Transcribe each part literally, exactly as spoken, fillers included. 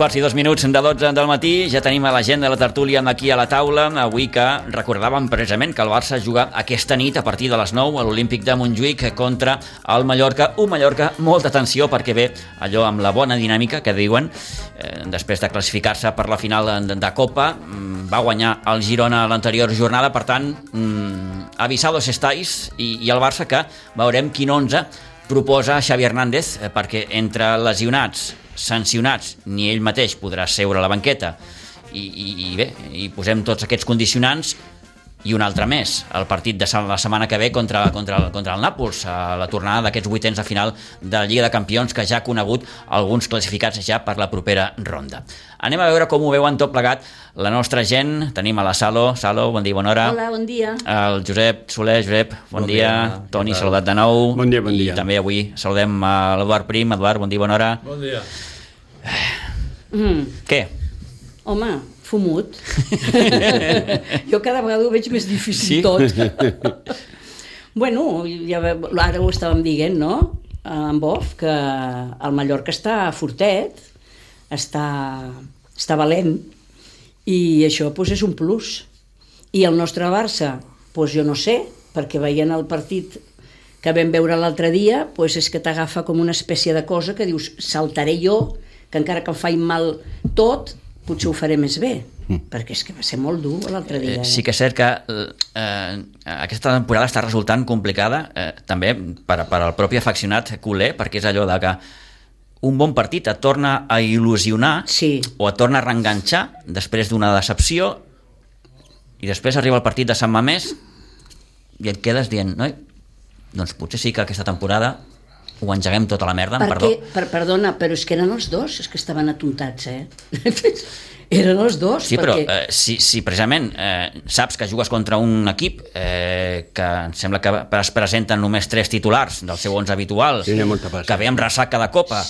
quarts i dos minuts de dotze del matí, ja tenim a la gent de la tertúlia aquí a la taula. Avui que recordàvem precisament que el Barça juga aquesta nit a partir de les nou a l'Olímpic de Montjuïc contra el Mallorca. Un Mallorca, molta atenció, perquè ve allò amb la bona dinàmica que diuen, eh, després de classificar-se per la final de, de Copa, va guanyar el Girona a l'anterior jornada, per tant, mm, avisados estáis, i, i el Barça que veurem quin onze proposa Xavi Hernández, eh, perquè entre lesionats, sancionats, ni ell mateix podrà seure a la banqueta i, i, i bé, i posem tots aquests condicionants i un altre més, el partit de la setmana que ve contra, contra, el, contra el Nàpols, a la tornada d'aquests vuitens de final de la Lliga de Campions, que ja ha conegut alguns classificats ja per la propera ronda. Anem a veure com ho veuen tot plegat la nostra gent. Tenim a la Salo. Salo, bon dia, bona hora. Hola, bon dia. El Josep Soler. Josep, bon, bon dia. dia. Toni, saludat de nou. Bon dia, bon dia. I també avui saludem a l'Eduard Prim. Eduard, bon dia, bona hora. Bon dia. Mm. Què? Home, fumut. Jo cada vegada ho veig més difícil, sí? Tot. Bueno, ja, ara ho estàvem dient, no? En off, que el Mallorca està fortet, està, està valent, i això pues, és un plus. I el nostre Barça, pues, jo no sé, perquè veient el partit que vam veure l'altre dia, pues, és que t'agafa com una espècie de cosa que dius, saltaré jo, que encara que em faig mal tot, potser ho faré més bé, mm. perquè és que va ser molt dur l'altre dia. Eh, sí que és cert que eh, aquesta temporada està resultant complicada, eh, també per, per al propi afeccionat culer, perquè és allò de que un bon partit et torna a il·lusionar, sí, o et torna a reenganxar després d'una decepció, i després arriba el partit de Sant Mamés i et quedes dient, noi, doncs potser sí que aquesta temporada ho engeguem tota la merda, perquè, perdó. Per, perdona, però és que eren els dos, és que estaven atontats, eh? Eren els dos. Sí, perquè... però eh, si, si precisament eh, saps que jugues contra un equip eh, que em sembla que es presenten només tres titulars del seu onze habitual, sí, que ve amb ressaca de Copa,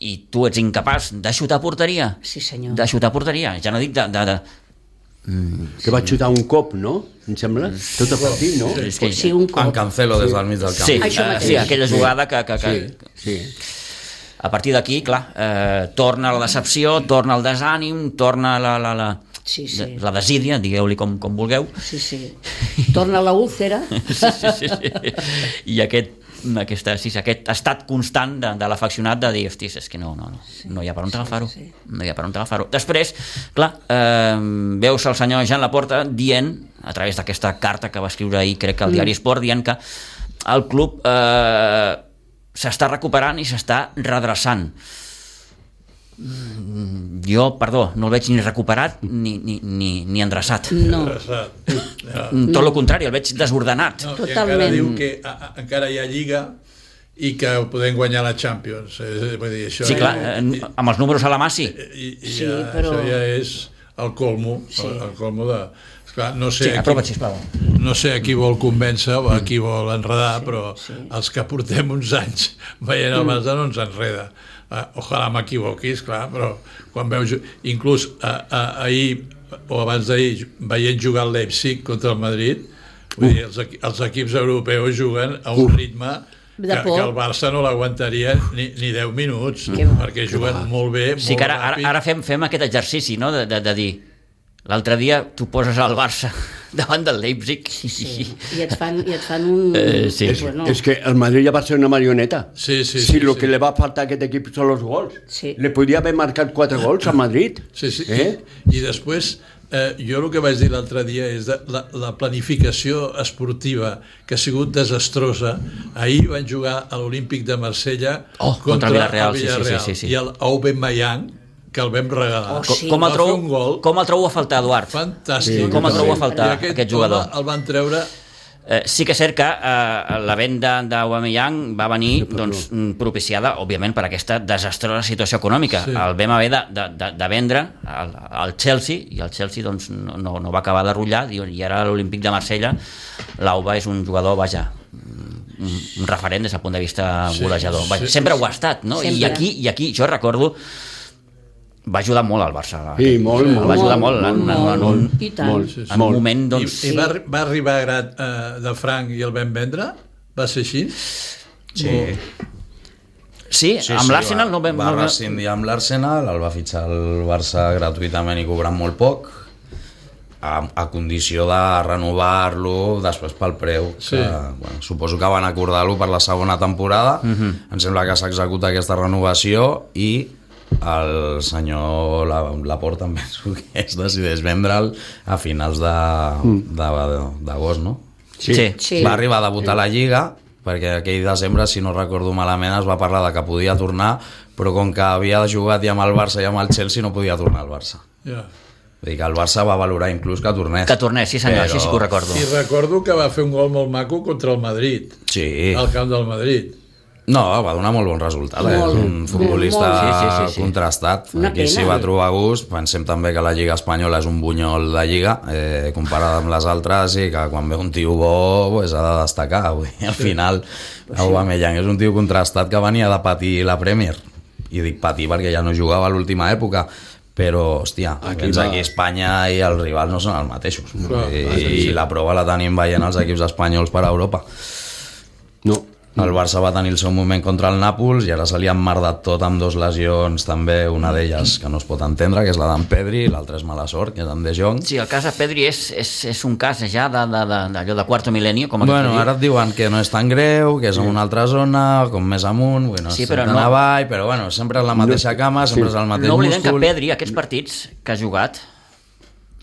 i tu ets incapaç de xutar a porteria, sí, senyor, de xutar a porteria, ja no dic de... de, de... Mm, que va xutar un cop, no? Em sembla? Tot el partit, no? Sí, que... sí, un cop. En Cancelo des del mig del camp. Sí, uh, sí, aquella jugada que... que, que... Sí, sí. A partir d'aquí, clar, eh, torna la decepció, torna el desànim, torna la, la, la, sí, sí. la desídia, digueu-li com, com vulgueu. Sí, sí. Torna la úlcera. Sí, sí, sí, sí. I aquest, aquesta, sí, aquest estat constant de, de l'afeccionat de dir, hostis, és que no, no, no, sí, no hi ha per on agafar-ho. Sí, sí. No hi ha per on agafar-ho. Després, clar, eh, veus el senyor Jean Laporta dient, a través d'aquesta carta que va escriure ahir, crec que al diari Sport, dient que el club... Eh, s'està recuperant i s'està redreçant. Jo, perdó, no el veig ni recuperat ni, ni, ni, ni endreçat. No. Ja. Tot el contrari, el veig desordenat. No, totalment. Encara diu que a, a, encara hi ha Lliga i que podem guanyar la Champions. Eh, vull dir, això sí, clar, ja, eh, amb els números a la mà, sí. I, i sí, ja, però... això ja és el colmo, sí. el, el colmo de... Esclar, no sé, sí, aprova't, sisplau. No sé a qui vol convèncer o a qui vol enredar, sí, però sí, els que portem uns anys veient el Barça no ens enreda. Uh, ojalà m'equivoqui, esclar, però quan veus... Inclús uh, uh, ahir o abans d'ahir, veient jugar el Leipzig contra el Madrid, vull dir, els, els equips europeus juguen a un ritme que, que el Barça no l'aguantaria ni, ni deu minuts, perquè juguen molt bé, molt sí, que ara, ràpid. Ara, ara fem, fem aquest exercici, no?, de, de, de dir... L'altre dia tu poses al Barça davant del Leipzig. Sí, sí. I et fan, i et fan un... Eh, sí. És, bueno. és que el Madrid ja va ser una marioneta. Sí, sí, si sí, lo sí. que le va faltar a aquest equip són els gols. Sí. Le podia haver marcat quatre gols a Madrid. Sí, sí. Eh? I, i després, eh, jo el que vaig dir l'altre dia és de la, la planificació esportiva que ha sigut desastrosa. Ahir van jugar a l'Olímpic de Marsella oh, contra, contra Villarreal, el Villarreal sí, sí, sí, sí. i el Aubameyang, que el vam regalar. Oh, sí. Com el trobo, un gol. com el trobo a faltar, Eduard? Fantàstic. Sí, com el trobo a faltar, aquest, aquest jugador? El van treure... Eh, sí que és cert que eh, la venda d'Aubameyang va venir doncs, propiciada, òbviament, per aquesta desastrosa situació econòmica. Sí. El vam haver de, de, de, de vendre al, al Chelsea, i el Chelsea doncs, no, no va acabar de rotllar, i ara a l'Olímpic de Marsella l'Auba és un jugador, vaja, un, un referent des del punt de vista golejador. Vaja, sí, sempre ho ha estat, no? I aquí, I aquí jo recordo va ajudar molt al Barça. Sí, molt, molt. Va ajudar molt, molt, en, molt, en, un, molt, i tant. Molt, sí, sí. en un moment, doncs... I, i va, va arribar a grat eh, de franc i el vam vendre? Va ser així? Sí. O... Sí, Sí, amb sí, l'Arsenal va, no vam... va no vam- rescindir amb l'Arsenal, el va fitxar el Barça gratuïtament i cobrant molt poc, a, a condició de renovar-lo després pel preu. Sí. Que, bueno, suposo que van acordar-lo per la segona temporada. Mhm. Em sembla que s'executa aquesta renovació i el senyor Laporta em penso que es decideix vendre'l a finals de- de- d'agost, no? Sí. Sí. Sí. Va arribar a debutar a la Lliga, perquè aquell desembre, si no recordo malament, es va parlar de que podia tornar, però com que havia jugat ja amb el Barça i amb el Chelsea, no podia tornar al Barça. Ja. Vull dir que el Barça va valorar inclús que tornés. Que tornés, sí senyor, Però- sí, sí que ho recordo. I recordo que va fer un gol molt maco contra el Madrid, Sí. al camp del Madrid. No, va donar molt bon resultat. Eh? Molt, És un futbolista molt. Sí, sí, sí, sí. contrastat. Una Aquí s'hi pena. va trobar a gust. Pensem també que la Lliga Espanyola és un bunyol de Lliga, eh, comparada amb les altres, i que quan ve un tio bo pues, ha de destacar. Vull dir, al final, Aubameyang és un tio contrastat que venia de patir la Premier. I dic patir perquè ja no jugava a l'última època, però, hòstia, aquí, va. aquí a Espanya i els rivals no són els mateixos. Clar, I, I la prova la tenim veient els equips espanyols per a Europa. No. El Barça va tenir el seu moment contra el Nàpols i ara se li ha emmerdat tot amb dos lesions també, una d'elles que no es pot entendre, que és la d'en Pedri, i l'altra és mala sort, que és en De Jong. Sí, el cas de Pedri és, és, és un cas ja de, de, de, d'allò de quarto milenio, com aquest Bueno, que diu. ara et diuen que no és tan greu, que és en una altra zona, com més amunt, bueno, Sí, sí, però tan no- avall, però bueno, sempre és la mateixa cama, sempre és el mateix No oblidem que múscul. Pedri, aquests partits que ha jugat,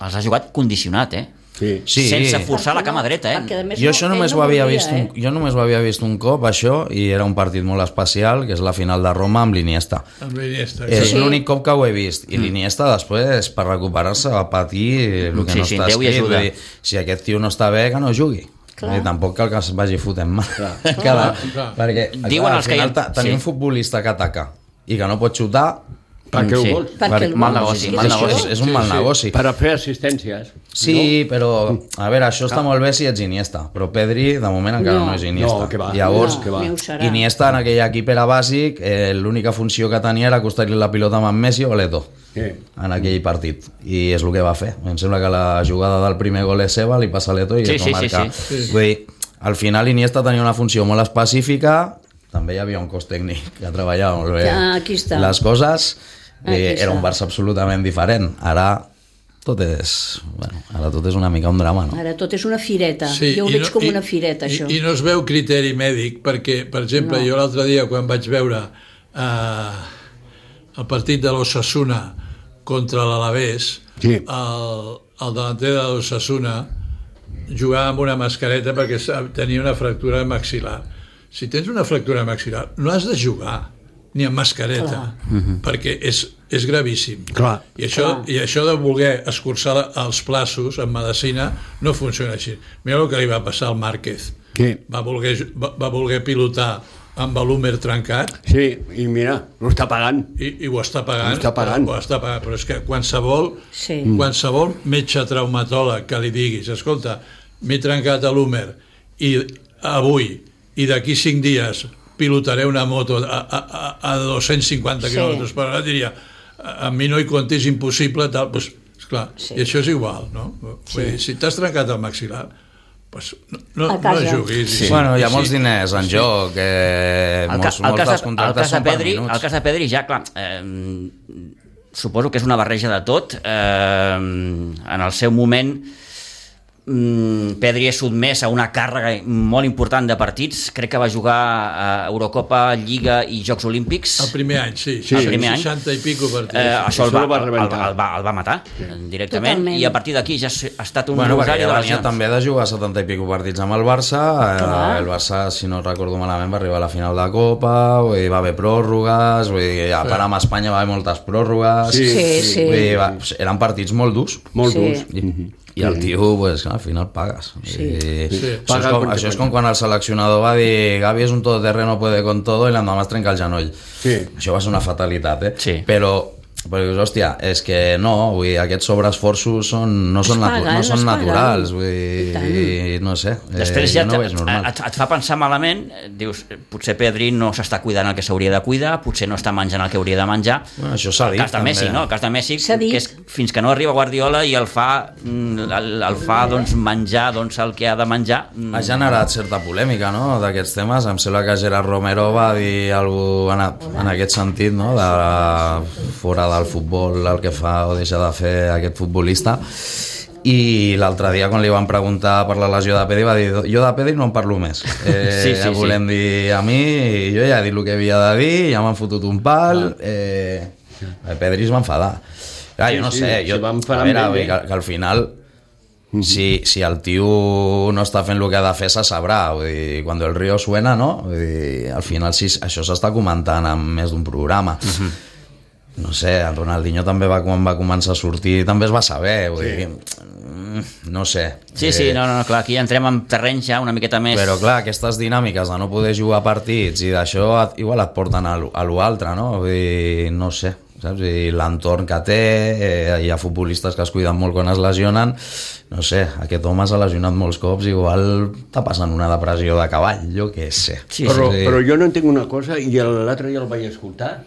els ha jugat condicionat, eh? Sí. Sí. Sense forçar la cama dreta, eh? Perquè, a més, Jo no- això ell només no ho havia volia, vist un, eh? jo només ho havia vist un cop, això, i era un partit molt especial, que és la final de Roma amb l'Iniesta. Amb l'Iniesta. És Sí. l'únic cop que ho he vist. I l'Iniesta després, per recuperar-se, va patir el que Sí, no sí, està Déu hi escrit. ajuda. Vull dir, si aquest tio no està bé, que no jugui. Clar. I tampoc cal que es vagi fotent mal. Clar, clar. perquè Diuen clar, al els que hi final ha- ta- tenir sí. un futbolista que ataca i que no pot xutar, Per què Sí. ho vols? Perquè el mal vols, negoci, és que mal és negoci. això. és, és un Sí, mal sí. negoci. Per a fer assistències. Sí, però, a veure, això està molt bé si ets Iniesta, però Pedri, de moment, encara no, No. no és Iniesta. No, que va. Llavors, No, que va. ni ho serà. Iniesta en aquell equip era bàsic, eh, l'única funció que tenia era acostar-li la pilota amb en Messi o l'Eto Sí. en aquell partit, i és el que va fer. Em sembla que la jugada del primer gol és seva, li passa a l'Eto i Sí, es va sí, sí, marcar. sí. Sí. Vull dir, al final Iniesta tenia una funció molt específica, també hi havia un cos tècnic que treballava molt bé Ja, aquí està. les coses, Aquí eh, era un està. Barça absolutament diferent. Ara tot és, bueno, ara tot és una mica un drama, no? Ara tot és una fireta. Sí, jo ho i veig no- com i- una fireta, i, això. I no es veu criteri mèdic, perquè, per exemple, No. jo l'altre dia, quan vaig veure eh, el partit de l'Osasuna contra l'Alavés, Sí. el, el delanter de l'Osasuna jugava amb una mascareta perquè sa- tenia una fractura maxil·lar. Si tens una fractura maxil·lar, no has de jugar ni amb mascareta, perquè és, és gravíssim. Clar. I això, Clar. I això de voler escurçar la- els plaços en medicina no funciona així. Mira el que li va passar al Márquez. Sí. Va voler, ju- va, va voler pilotar amb l'húmer trencat Sí, i mira, ho està pagant. i, i ho està pagant. Ho està pagant. Ho està pagant, però és que qualsevol, Sí. qualsevol metge traumatòleg que li diguis, escolta, m'he trencat l'húmer i avui i d'aquí cinc dies pilotaré una moto a, a, a, a dos-cents cinquanta Sí. quilòmetres per hora, diria, a, a mi no hi compti, és impossible, tal, doncs, esclar, Sí. i això és igual, no? Vull dir, si t'has trencat el maxil·lar, doncs no, no, A no casa. juguis. Sí. I- Bueno, hi ha i molts sí. diners en joc, eh, El, ca, molts, el, molts cas dels de, el, contractes cas de són per Pedri, minuts. el cas de Pedri ja, clar, eh, suposo que és una barreja de tot. Eh, en el seu moment, mm, Pedri és sotmès a una càrrega molt important de partits. Crec que va jugar a Eurocopa, Lliga i Jocs Olímpics. El primer any, sí. Sí. El primer any. seixanta i pico partits. Eh, això el Això va, el va el, el, rebentar. el, va, el va matar directament. Totalment. I a partir d'aquí ja ha estat un Bueno, perquè rosari ja de venia lesions. també de jugar setanta i pico partits amb el Barça. Clar. Eh, el Barça, si no recordo malament, va arribar a la final de Copa, vull dir, va haver pròrrogues, vull dir, a part amb Espanya va haver moltes pròrrogues. Sí, Sí, sí. Vull dir, va, eren partits molt durs. Molt Sí. durs. I, i el tio, pues, al final pagues. Sí. I, Sí. Això, Paga és com, el això és com quan el seleccionador va dir Gavi és un todoterreno, puede con todo, i l'endemà es trenca el genoll. Sí. Això va ser una fatalitat, eh? Sí. Però Però dius, hòstia, és que no, vull dir, aquests sobreesforços són, no són, natu paguen, no són naturals, vull dir, no sé, després eh, ja no ho veig normal. et, et fa pensar malament, dius, potser Pedri no s'està cuidant el que s'hauria de cuidar, potser no està menjant el que hauria de menjar. Bueno, això s'ha dit, el cas de Messi, també. no? El cas de Messi, S'ha dit. que és fins que no arriba Guardiola i el fa, el, el fa doncs, menjar doncs, el que ha de menjar. Ha generat certa polèmica, no?, d'aquests temes. Em sembla que Gerard Romero va dir alguna cosa en, en aquest sentit, no?, de fora del futbol el que fa o deixa de fer aquest futbolista. I l'altre dia quan li van preguntar per la lesió de Pedri va dir, jo de Pedri no en parlo més, eh, sí, sí, volem sí. dir a mi, jo ja he dit el que havia de dir, ja m'han fotut un pal, eh, Pedri es va enfadar. Clar, jo no Sí, sí, sé, jo, se va enfadar a veure, amb ell, que, que al final si, si el tio no està fent el que ha de fer se sabrà, vull dir, quan el río suena, no? Vull dir, al final si, això s'està comentant en més d'un programa. Uh-huh. No sé, el Ronaldinho també va, quan va començar a sortir també es va saber, vull sí. dir, no sé. Sí, sí, no, no, clar, aquí entrem en terreny ja una miqueta més... Però clar, aquestes dinàmiques de no poder jugar partits i d'això igual et porten a l'altre, no? Vull dir, no sé, saps? I l'entorn que té, eh, hi ha futbolistes que es cuiden molt quan es lesionen, no sé, aquest home s'ha lesionat molts cops, igual està passant una depressió de cavall, jo què sé. Sí, però, sí. però jo no entenc una cosa, i l'altre dia el vaig escoltar,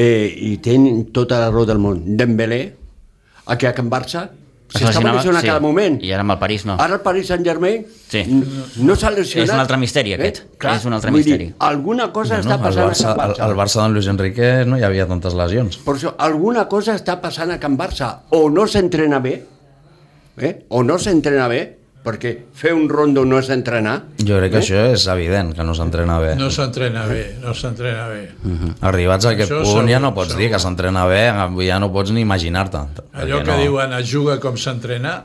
eh, i tenen tota la raó del món. Dembélé, aquí a Can Barça, s'estava lesionant sí. a cada moment. I ara amb el París no. Ara el Paris Saint-Germain sí. no s'ha lesionat. És un altre misteri, aquest. Eh? Clar, és un altre misteri. Dir, alguna cosa no, està passant Barça, a Can Barça. Al Barça d'en Luis Enrique no hi havia tantes lesions. Per això, alguna cosa està passant a Can Barça. O no s'entrena bé, eh? o no s'entrena bé, perquè fer un rondo no és entrenar. Jo crec que eh? això és evident, que no s'entrena bé. No s'entrena bé, no s'entrena bé. Uh-huh. Arribats a aquest Això punt segur, ja no pots segur. dir que s'entrena bé, ja no pots ni imaginar-te. Allò que no. diuen es juga com s'entrena,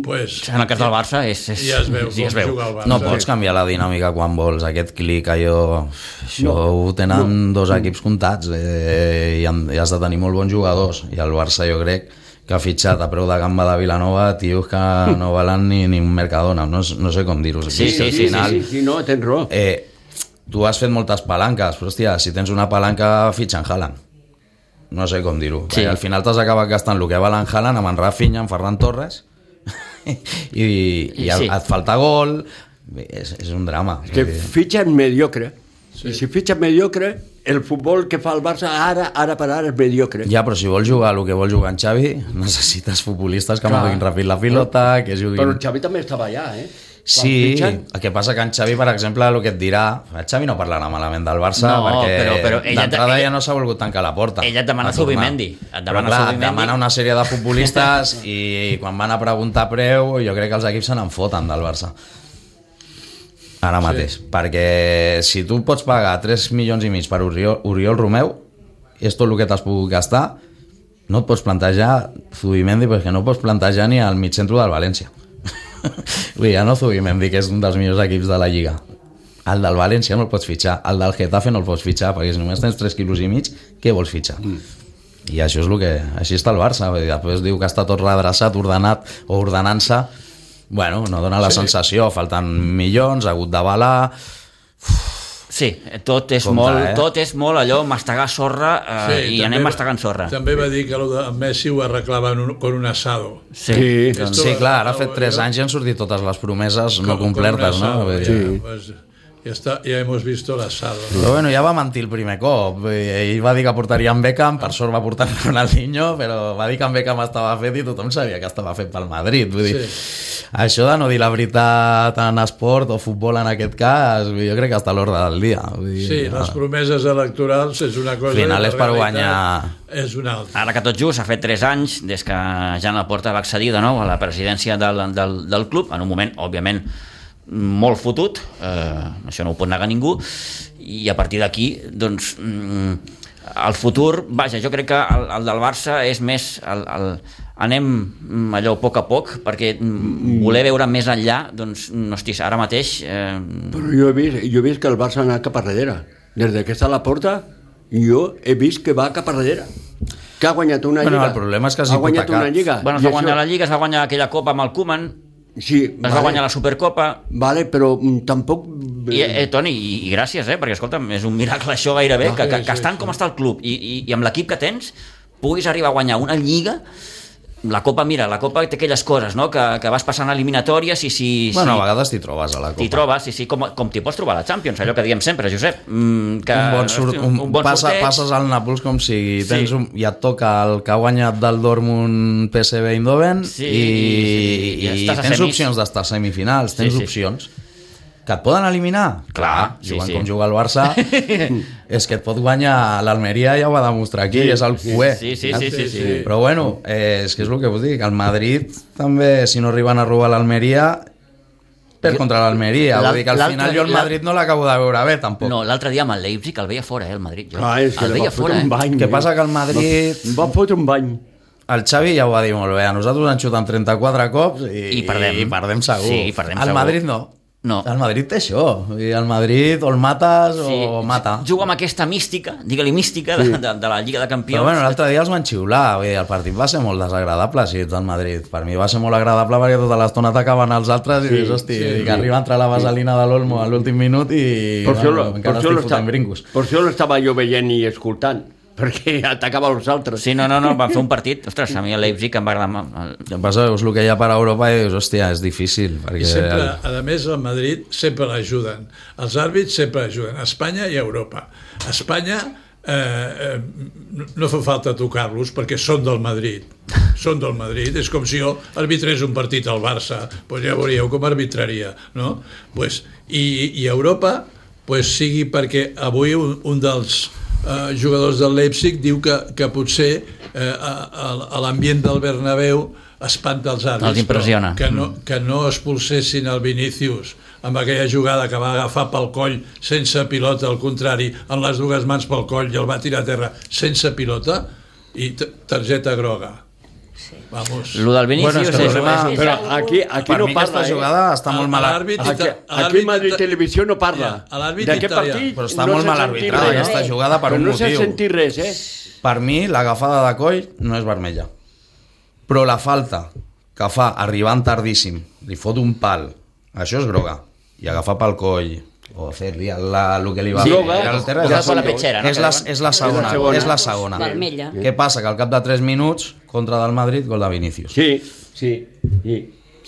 pues, En el cas del Barça és... és ja es veu sí, com es veu. juga el Barça. No pots canviar la dinàmica quan vols, aquest clic, allò... Això no, ho tenen no. dos equips comptats, eh, i, han, i has de tenir molt bons jugadors, i el Barça jo crec que ha fitxat a preu de gamba de Vilanova tios que no valen ni, ni un Mercadona, no, no sé com dir-ho. Sí, sí, sí, sí, sí, sí, no, tens raó. Eh, tu has fet moltes palanques, però hòstia, si tens una palanca, fitxa en Haaland. No sé com dir-ho. Sí. Al final t'has acabat gastant el que val en Haaland amb en Rafinha, en Ferran Torres, i, i sí. et falta gol, és, és un drama. Que fitxen mediocre. Sí. I si fitxen mediocre, el futbol que fa el Barça ara, ara per ara és mediocre. Ja, però si vols jugar el que vol jugar en Xavi, necessites futbolistes que Clar. moguin ràpid la pilota, que juguin... Però el Xavi també estava allà, eh? Sí, fitxen... el que passa que en Xavi, per exemple, el que et dirà... El Xavi no parlarà malament del Barça, No, perquè però- però ella- d'entrada ella- ja no s'ha volgut tancar la porta. Ella et demana a tornar. Zubimendi. Et demana Però clar, et Zubimendi. demana una sèrie de futbolistes i quan van a preguntar preu, jo crec que els equips se n'en foten del Barça. Ara mateix. Sí. Perquè si tu pots pagar tres milions i mig per Oriol, Oriol Romeu, és tot el que t'has pogut gastar, no et pots plantejar Zubimendi, perquè no pots plantejar ni al mitjentro del València. Vull dir, ja no Zubimendi, que és un dels millors equips de la Lliga. El del València no el pots fitxar, el del Getafe no el pots fitxar, perquè si només tens tres quilos i mig, què vols fitxar? Mm. I això és el que... Així està el Barça. Vull dir, després diu que està tot redreçat, ordenat o ordenant-se. Bueno, no dona la Sí. sensació, falten milions, ha hagut d'avalar... Sí, tot és, Compte, molt, eh? tot és molt allò, mastegar sorra eh, Sí, i també anem va- mastegant sorra. També va dir que el de Messi ho arreglava en un, con un asado. Sí. Sí. Doncs Esto sí, va- clar, ara ha fet va- tres jo- anys i han sortit totes les promeses no Con- con complertes, un no? asado, Vull ja, dir, pues, ja, està, ja hemos visto el asado. Però bueno, ja va mentir el primer cop. Ell va dir que portaria en Beckham, per sort va portar en Ronaldinho, però va dir que en Beckham estava fet i tothom sabia que estava fet pel Madrid. Vull dir, Sí. això de no dir la veritat en esport o futbol en aquest cas, jo crec que està a l'ordre del dia. Vull dir, Sí, les promeses electorals és una cosa... Al final i la és per realitat guanyar. És una altra. Ara que tot just ha fet tres anys des que Jan Laporta va accedir de nou a la presidència del, del, del club, en un moment, òbviament, molt fotut, eh, això no ho pot negar ningú, i a partir d'aquí, doncs, mm, el futur, vaja, jo crec que el, el del Barça és més el, el, anem allò a poc a poc, perquè mm, voler veure més enllà, doncs, no, hosti, ara mateix... Eh... Però jo he vist, jo he vist que el Barça ha anat cap a darrere. Des que està a la porta, jo he vist que va cap a darrere. Que ha guanyat una Bueno, lliga. el problema és que has ha guanyat hipotecat. una lliga. Bueno, es I va guanyar això- la Lliga, es va guanyar aquella copa amb el Koeman, Sí, es va guanyar la Supercopa, Vale, però mm, tampoc... I, eh, Toni, i, i gràcies, eh? Perquè escolta'm, és un miracle això gairebé, Ah, que, que, sí, que estant sí. com està el club i, i, i amb l'equip que tens, puguis arribar a guanyar una lliga. La Copa, mira, la Copa té aquelles coses, no?, que, que vas passant eliminatòries i si... Bueno, si... a vegades t'hi trobes a la Copa. T'hi trobes, sí, sí, com, com t'hi pots trobar a la Champions, allò que diem sempre, Josep. Mm, que, un bon, sur, un, un bon passa, sorteig. passes al Nàpols com si tens Sí. un, ja et toca el que ha guanyat del Dortmund P S V Eindhoven Sí, i, i- i i estàs a tens semis. opcions d'estar a semifinals, tens Sí, sí. opcions. Que et poden eliminar? Clar, sí, jugant sí. com juga el Barça, és que et pot guanyar l'Almeria, ja ho va demostrar aquí, Sí, és el sí, cué. sí, sí, sí, sí, sí. Però bueno, eh, és que és el que vos dic, el Madrid també, si no arriben a robar l'Almeria, per contra l'Almeria. Vull dir que al L'altre- final jo el Madrid no l'acabo de veure bé, tampoc. No, l'altre dia amb el Leipzig el veia fora, eh, el Madrid. Jo. Ah, és que el li veia va fotre fora, un eh? bany. Què eh? passa que el Madrid... Va, va fotre un bany. El Xavi ja ho va dir molt bé, a nosaltres ens xuten trenta-quatre cops i, I perdem. i perdem segur. Sí, perdem el segur. Madrid no. No. El Madrid té això. I el Madrid o el mates Sí, o mata. juga amb aquesta mística, digue-li mística, de, de, de la Lliga de Campions. Però bueno, l'altre dia els van xiular. Vull dir, el partit va ser molt desagradable, si ets del Madrid. Per mi va ser molt agradable perquè tota l'estona atacaven els altres i dius, hosti, sí, que arriba a entrar la vaselina de l'Olmo a l'últim minut i Per això, bueno, per encara això estic fotent l'estava brincos. per això l'estava jo veient i escoltant, perquè atacava els altres. Sí, no, no, no, van fer un partit. Ostres, a mi el Leipzig em va agradar. El... El que passa és el que hi ha per Europa i dius, hòstia, és difícil. Perquè I sempre, a més, al Madrid sempre l'ajuden. Els àrbits sempre ajuden. A Espanya i a Europa. A Espanya eh, eh, no fa falta tocar-los perquè són del Madrid. Són del Madrid. És com si jo arbitrés un partit al Barça. Pues ja veuríeu com arbitraria. No? Pues, i, I a Europa pues, sigui perquè avui un, un dels eh, jugadors del Leipzig diu que, que potser eh, a, a l'ambient del Bernabéu espanta els àrbits. Els impressiona. Que no, que no expulsessin el Vinícius amb aquella jugada que va agafar pel coll sense pilota, al contrari, amb les dues mans pel coll i el va tirar a terra sense pilota i targeta groga. Vamos. Lo del Vinícius Bueno, és que el és, problema- és, Però aquí, aquí per no mi parla, aquesta eh? jugada està molt mal... L'àrbit Aquí, ita- aquí l'àrbit Madrid ita- Televisió no parla. Ja, l'àrbit D'aquest italià. partit Però està no molt s'ha mal sentit arbitrada res. aquesta jugada per Però un no s'ha motiu. sentit res, eh? Per mi, l'agafada de coll no és vermella. Però la falta que fa arribant tardíssim, li fot un pal, això és groga. I agafar pel coll, o fer-li el, el que li va Sí, fer. groga, al terra, posar és, per la la, petxera, no? és, la, és la segona. segona. És la segona. Vermella. Què passa? Que al cap de tres minuts, contra del Madrid, gol de Vinícius. Sí, sí, sí.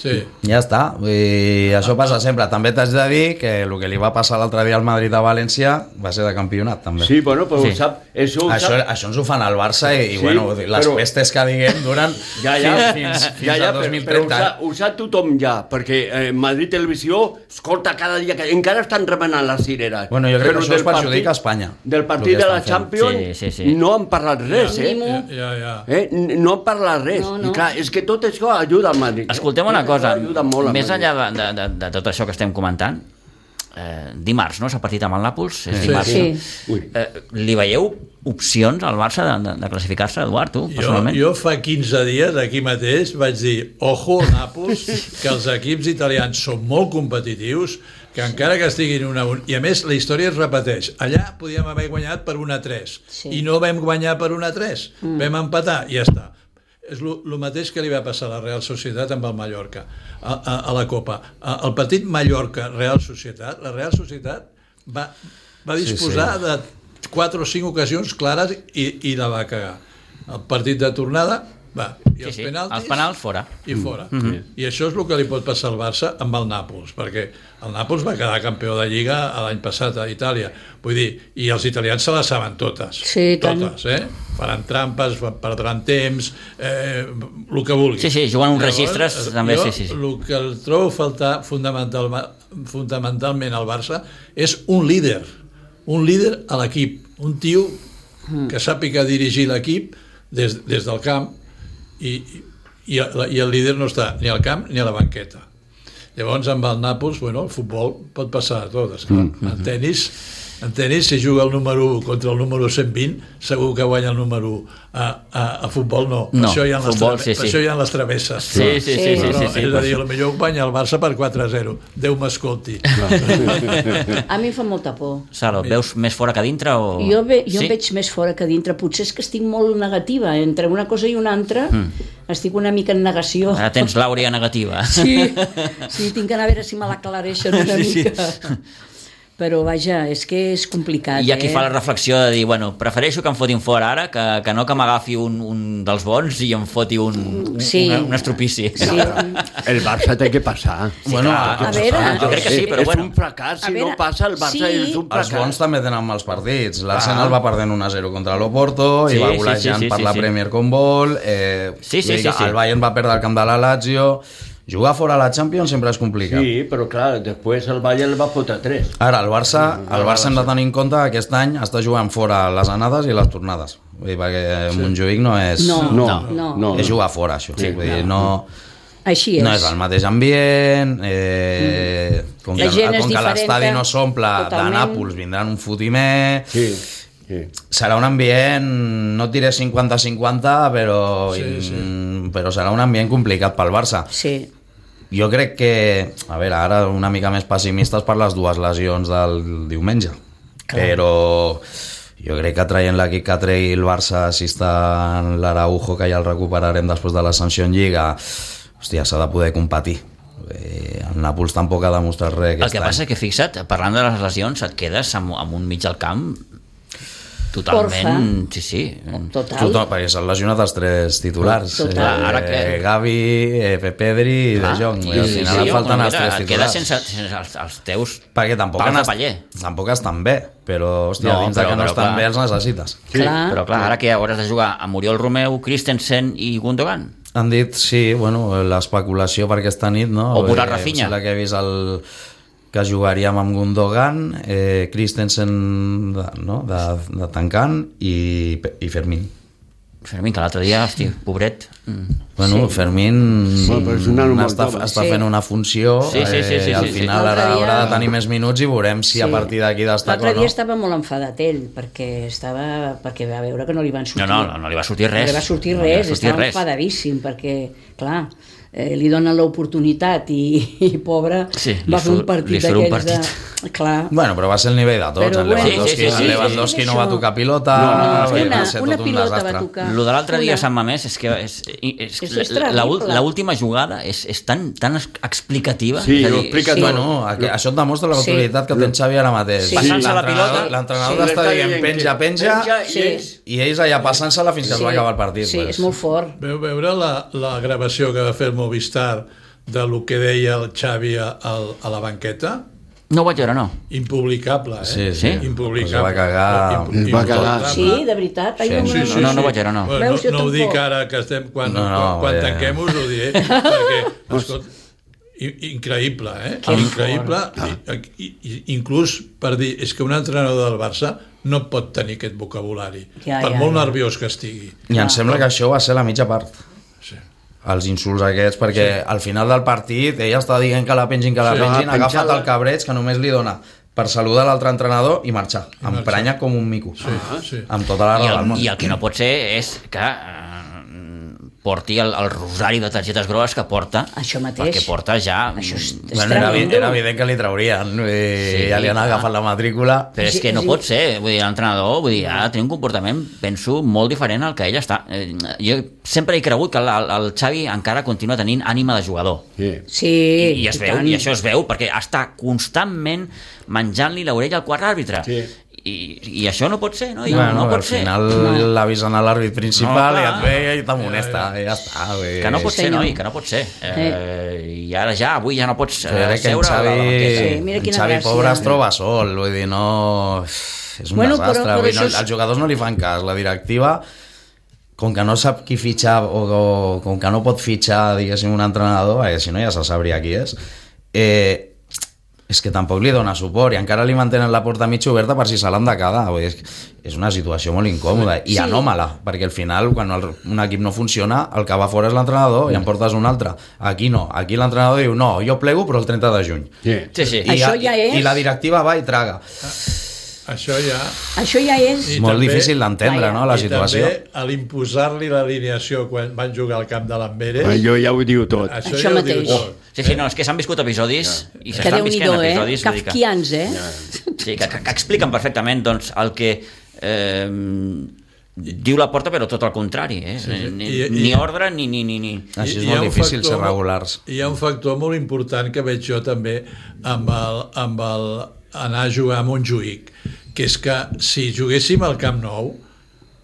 Sí. Ja està, i això passa sempre. També t'haig de dir que el que li va passar l'altre dia al Madrid a València va ser de campionat, també. Sí, bueno, però Sí. ho sap, això ho Això, sap. això ens ho fan al Barça i, i Sí, bueno, les però- pestes que diguem duren Ja, ja, fins, fins ja, ja, al dos però, mil però ho, trenta. sap, ho sap tothom ja, perquè eh, Madrid Televisió escolta cada dia, que encara estan remenant les cireres. Bueno, jo crec Però que això es del perjudica partit- a Espanya, Del el partit que de la estan fent. Champions Sí, sí, sí. no han parlat res, eh? Mínimo. Ja, ja. eh? N- No han parlat res. No, no. I clar, és que tot això ajuda al Madrid. eh? Escoltem una Tot cosa, això ajuda molt al més Madrid. enllà de, de, de, de tot això que estem comentant, eh, dimarts, no?, s'ha partit amb el Nàpols, és Sí, dimarts. sí. no? Ui. Eh, li veieu opcions al Barça de, de, de classificar-se, Eduard, tu, Jo, personalment? jo fa quinze dies aquí mateix vaig dir ojo, Nàpols, que els equips italians són molt competitius, que encara que estiguin una... I a més, la història es repeteix. Allà podíem haver guanyat per una a tres Sí. i no vam guanyar per una a tres. Mm. Vam empatar i ja està. És el mateix que li va passar a la Real Societat amb el Mallorca, a, a, a la Copa. A, el partit Mallorca-Real Societat, la Real Societat va, va disposar Sí, sí. de quatre o cinc ocasions clares i, i la va cagar. El partit de tornada, va, i Sí, els sí, penaltis... els penals fora. I fora. Mm -hmm. I això és el que li pot passar al Barça amb el Nàpols, perquè el Nàpols va quedar campió de Lliga l'any passat a Itàlia. Vull dir, i els italians se les saben totes. Sí, tant. totes, eh? Faran trampes, perdran temps, eh, el que vulguis. Sí, sí, jugant uns registres, també, jo, sí, sí, sí. El que el trobo a faltar fundamental, fundamentalment al Barça és un líder, un líder a l'equip, un tio que sàpiga dirigir l'equip des, des del camp, i, i, i el líder no està ni al camp ni a la banqueta. Llavors amb el Nàpols, bueno, el futbol pot passar a tot, esclar. Mm -hmm. En tenis, en tenis, si juga el número u contra el número cent vint, segur que guanya el número u. A, a, a futbol no, per No, això hi ha les, futbol, trave- sí, per sí. això hi ha les travesses. Sí, sí, sí, sí, sí, Però, sí, sí, és a dir, potser guanya el Barça per quatre a zero. Déu m'escolti. A mi em fa molta por. Salo, veus més fora que dintre o... Jo, ve, jo sí? em veig més fora que dintre. Potser és que estic molt negativa. Entre una cosa i una altra mm. estic una mica en negació. Ara tens l'àurea negativa. Sí, sí, tinc que anar a veure si me l'aclareixen una Sí, sí. mica. però vaja, és que és complicat. Hi ha qui eh? fa la reflexió de dir, bueno, prefereixo que em fotin fora ara que, que no que m'agafi un, un dels bons i em foti un, un, sí. una, un estropici. Sí. El Barça té que passar. Sí, bueno, a, a veure... jo crec que sí, però és bueno. un fracàs, si veure, no passa el Barça sí. és un fracàs. Els bons també tenen mals partits. L'Arsenal va perdent un a zero contra l'Oporto Sí, i va sí, golejant sí, sí, per sí, la sí. Premier con vol. Eh, Sí, sí, sí, sí. El Bayern va perdre el camp de la Lazio. Jugar fora a la Champions sempre és complicat. Sí, però clar, després el Bayern va fotre tres. Ara, el Barça, el Barça hem de tenir en compte que aquest any està jugant fora les anades i les tornades. Vull dir, perquè sí. Montjuïc no és... No, No, no. no. És jugar fora, això. Sí, Vull dir, no... Així és. No és el mateix ambient, eh, mm. com, que, La gent és com que diferent, l'estadi no s'omple de totalment. Nàpols, vindran un fotimer... Sí, sí. Serà un ambient, no et diré cinquanta cinquanta, però, Sí, sí. però serà un ambient complicat pel Barça. Sí. Jo crec que, a veure, ara una mica més pessimistes per les dues lesions del diumenge, clar. Però jo crec que traient l'equip que tregui el Barça, si està l'Araujo, que ja el recuperarem després de l'ascensió en Lliga, hòstia, s'ha de poder competir. Eh, el Nàpols tampoc ha demostrat res aquest El que any. passa és que, fixa't, parlant de les lesions, et quedes amb, amb un mig al camp totalment... Orfe. Sí, sí. Total. Tothom, perquè s'han lesionat els tres titulars. Total. Eh, Ara que- Gavi, eh, Pedri i De Jong. I al sí, final sí, falten mira, els tres et quedes titulars. sense, sense els, els teus Perquè tampoc, pals han de est- paller. tampoc estan bé, però, hòstia, No, dins però- de que no però estan clar. bé els necessites. Sí, Clar. Però clar, ara que hauràs de jugar amb Oriol Romeu, Christensen i Gundogan. Han dit, sí, bueno, l'especulació per aquesta nit, no? O posar Eh, Rafinha. em sembla que he vist el, que jugaríem amb Gundogan, eh, Christensen de, no? de, de tancant i, i Fermín. Fermín, que l'altre dia, hosti, pobret. Mm. Bueno, Sí. Fermín Sí. Bueno, però és un nano molt està, jove. està Sí. fent una funció, Sí, sí, sí, sí, eh, al sí, sí. final ara L'altre dia- haurà de tenir més minuts i veurem si Sí. a partir d'aquí destaca L'altre o no. dia estava molt enfadat ell, perquè estava perquè va veure que no li van sortir. No, no, no, no li va sortir res. No li va sortir No li va res, sortir estava res. enfadadíssim, perquè, clar, eh, li donen l'oportunitat i, i pobre, Sí, li va fer un surt- partit li surt un d'aquells de... partit. Clar, Bueno, però va ser el nivell de tots. Però En bueno, Lewandowski, sí, sí, sí, en Lewandowski sí, no sí, va això. tocar pilota, No, va és que una, ser una tot un pilota va desastre. tocar. Lo de l'altre dia a Una. Sant Mamés és que és, és, És- és, és la, la, terrible. la última jugada és, és tan, tan explicativa. Sí, és a ho dir, explica Sí. tot. Bueno, aqu- això et demostra l'autoritat que té Xavi ara mateix. Sí. Passant-se la L'entrenador- pilota. L'entrenador Sí. està dient penja, penja, Sí. i ells- i ells allà passant-se-la fins que es va acabar el partit. Sí, pues. és molt fort. Veu veure la, la gravació que va fer el Movistar de lo que deia el Xavi a, a la banqueta? No ho vaig veure, no. Impublicable, eh? Sí, sí. Impublicable. Es va cagar. Impu- Es va cagar. impublicable. Sí, de veritat. Ai, Sí. no, Sí, no, sí, no, no vaig veure, no. Bueno, Veus, jo no, no ho tampoc. dic ara que estem... Quan, No, no, quan, quan eh. tanquem us ho diré, perquè, escolta, i- increïble, eh? Que increïble. I, i, i, inclús per dir, és que un entrenador del Barça no pot tenir aquest vocabulari, Ja, per ja, molt ja. nerviós que estigui. I em sembla que això va ser la mitja part. Sí. Els insults aquests, perquè al final del partit ella està dient que la pengin, que la Sí. pengin, ha Ah, agafat penjada. el cabreig que només li dona per saludar l'altre entrenador i marxar, I marxar. emprenya com un mico, Sí, sí. amb tota la I raó del el, món. I el que no pot ser és que eh, porti el, el rosari de targetes grogues que porta, Això mateix. perquè porta ja... Això és, és Bueno, era, tremendo. era evident que li traurien, i Sí, ja li han clar. agafat la matrícula. Però és que no Sí. pot ser, vull dir, l'entrenador, vull dir, ha de tenir un comportament, penso, molt diferent al que ell està. Eh, Jo sempre he cregut que el, el Xavi encara continua tenint ànima de jugador. Sí. Sí, I, i es i veu, tant. i això es veu, perquè està constantment menjant-li l'orella al quart àrbitre. Sí. I, I això no pot ser, no? I Bueno, no pot al ser. final No. l'avisen a l'àrbit principal No, i clar. et ve i t'amonesta, i ja està. Vull dir. Que no pot ser, Senyor. noi, que no pot ser. Eh, I ara ja, avui ja no pots eh, Jo crec que en seure a la Xavi, banqueta. Sí, mira en quina Xavi gràcia. pobre es troba sol, vull dir, no... És un Bueno, però- desastre, però vull dir, no, això és- els jugadors no li fan cas, la directiva, com que no sap qui fitxar o, o com que no pot fitxar, diguéssim, un entrenador, perquè si no ja se sabria qui és, eh, és que tampoc li dona suport i encara li mantenen la porta mig oberta per si se l'han de quedar. Vull dir, és, és una situació molt incòmoda i Sí. anòmala, perquè al final quan el, un equip no funciona el que va fora és l'entrenador i en portes un altre. Aquí no, aquí l'entrenador diu no, jo plego però el trenta de juny. Sí. Sí, sí. I, Això ja és- i la directiva va i traga. Això ja... Això ja és... I Molt també- difícil d'entendre, Vaja. no, la I situació. també a l'imposar-li l'alineació quan van jugar al camp de l'Amberes, Allò ja ho diu tot. això, Això ja ho mateix. diu tot. Sí, sí, no, és que s'han viscut episodis i Que s'estan visquent Déu-n'hi-do, eh? episodis. vull dir que- Kafkians, eh? Sí, que, que, que expliquen perfectament doncs, el que eh, diu la porta, però tot el contrari. Eh? Sí, sí. Ni, I- i- ni ordre ni... ni, ni, ni. Així és I hi ha molt un difícil factor ser molt- regulars. Hi ha un factor molt important que veig jo també amb el, amb el anar a jugar a Montjuïc, que és que si juguéssim al Camp Nou,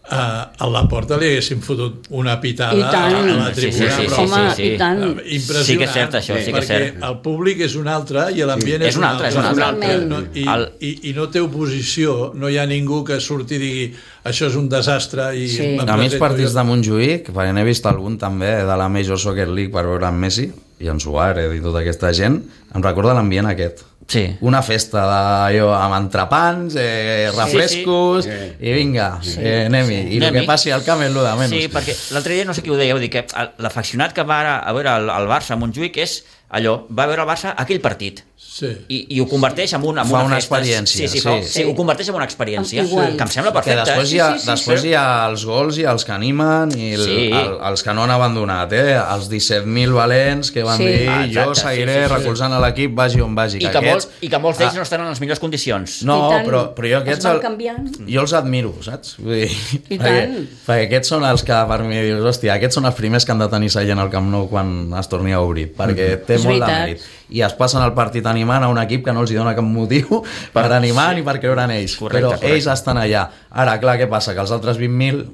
Uh, a la porta li haguéssim fotut una pitada a la tribuna, sí, sí, sí, però, home, sí, sí. i tant. impressionant, sí que és cert això, sí que és cert. perquè el públic és un altre i l'ambient sí. és, és un altre, un altre, és un altre. No, i, el... i, i no té oposició, no hi ha ningú que surti i digui això és un desastre i sí. a mi els partits de Montjuïc, perquè n'he vist algun també de la Major Soccer League per veure en Messi i en Suárez i tota aquesta gent, em recorda l'ambient aquest. Sí. Una festa de, jo, amb entrepans, eh, refrescos, sí, sí. i vinga, sí, eh, anem-hi. Sí. I el que passi al camp és el de menys. Sí, perquè l'altre dia, no sé qui ho deia, dir que l'afeccionat que va a veure el, el Barça a Montjuïc és allò, va veure el Barça aquell partit. Sí. I, i ho converteix en una, en fa una, una festa. experiència. Sí, sí, fa, sí. sí, ho converteix en una experiència. Igual. Que em sembla perfecte. Que després, hi ha, sí, sí, sí, després sí. hi ha els gols i els que animen i el, Sí. el, els que no han abandonat, eh? Els disset mil valents que van Sí. dir Ah, jo exacte, seguiré sí, sí, sí. recolzant a l'equip, vagi on vagi. I que, aquests, molts, I que molts d'ells ah, no estan en les millors condicions. No, I tant. però, però jo aquests... Es van el- canviant. Jo els admiro, saps? Vull dir, I perquè, tant. perquè aquests són els que per mi dius, hòstia, aquests són els primers que han de tenir seient al Camp Nou quan es torni a obrir, perquè té És molt de veritat. mèrit. I es passen el partit animant a un equip que no els hi dona cap motiu per animar ni per creure en ells. Correcte, però correcte. ells estan allà. Ara, clar, què passa? Que els altres vint mil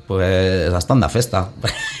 pues, estan de festa.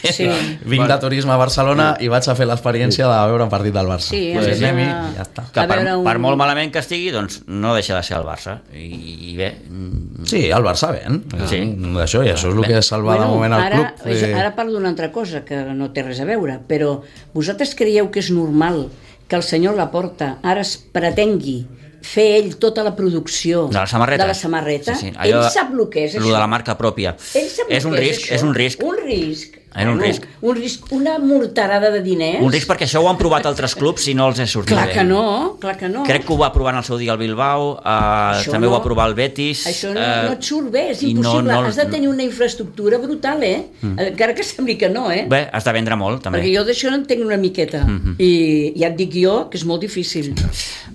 Sí. Vinc de turisme a Barcelona i vaig a fer l'experiència de veure un partit del Barça. Sí, pues, sí, sí. anem-hi i ja està. Que A per, veure un- per molt malament que estigui, doncs no deixa de ser el Barça. I, i bé... mm, Sí, el Barça ven. Sí. D'això, i això és el que salva de moment el ara, club. és, Eh, ara parlo d'una altra cosa que no té res a veure, però vosaltres creieu que és normal que el senyor Laporta ara es pretengui fer ell tota la producció De la samarreta. de la samarreta? Sí, sí. Ell Allò- sap el que és Lo això. de la marca pròpia. Ell sap És el un que risc, això. és un risc. Un risc. És un Bueno, risc. Un risc, una morterada de diners. Un risc perquè això ho han provat altres clubs i no els és sortit Clar bé. que no, clar que no. Crec que ho va provar en el seu dia el Bilbao, eh, Això també no. ho va provar el Betis. Això no, eh, no et surt bé, és i no- impossible. no- Has de tenir una infraestructura brutal, eh? Mm. Encara que sembli que no, eh? Bé, has de vendre molt, també. Perquè jo d'això no en tinc una miqueta. Mhm. I ja et dic jo que és molt difícil.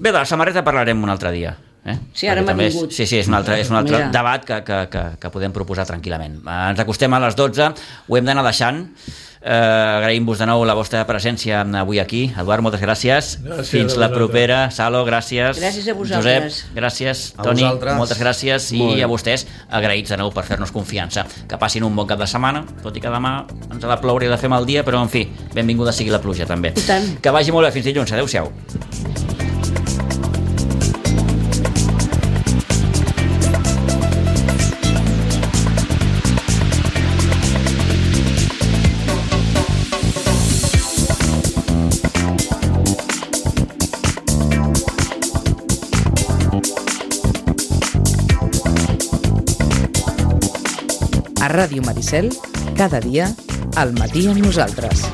Bé, de la samarreta parlarem un altre dia. Eh? Sí, ara Perquè m'ha també és- vingut. Sí, sí, és un altre, és un altre Mira. debat que, que, que, que podem proposar tranquil·lament. Eh, Ens acostem a les dotze, ho hem d'anar deixant. Eh, agraïm-vos de nou la vostra presència avui aquí. Eduard, moltes gràcies. Gràcies Fins a la vosaltres. propera. Salo, gràcies. Gràcies a vosaltres. Josep, gràcies. A Toni, vosaltres. moltes gràcies. Molt I bé. a vostès, agraïts de nou per fer-nos confiança. Que passin un bon cap de setmana, tot i que demà ens ha de ploure i de fer mal dia, però en fi, benvinguda sigui la pluja també. I tant. Que vagi molt bé, fins dilluns. Adéu-siau. A Ràdio Maricel, cada dia, al matí amb nosaltres.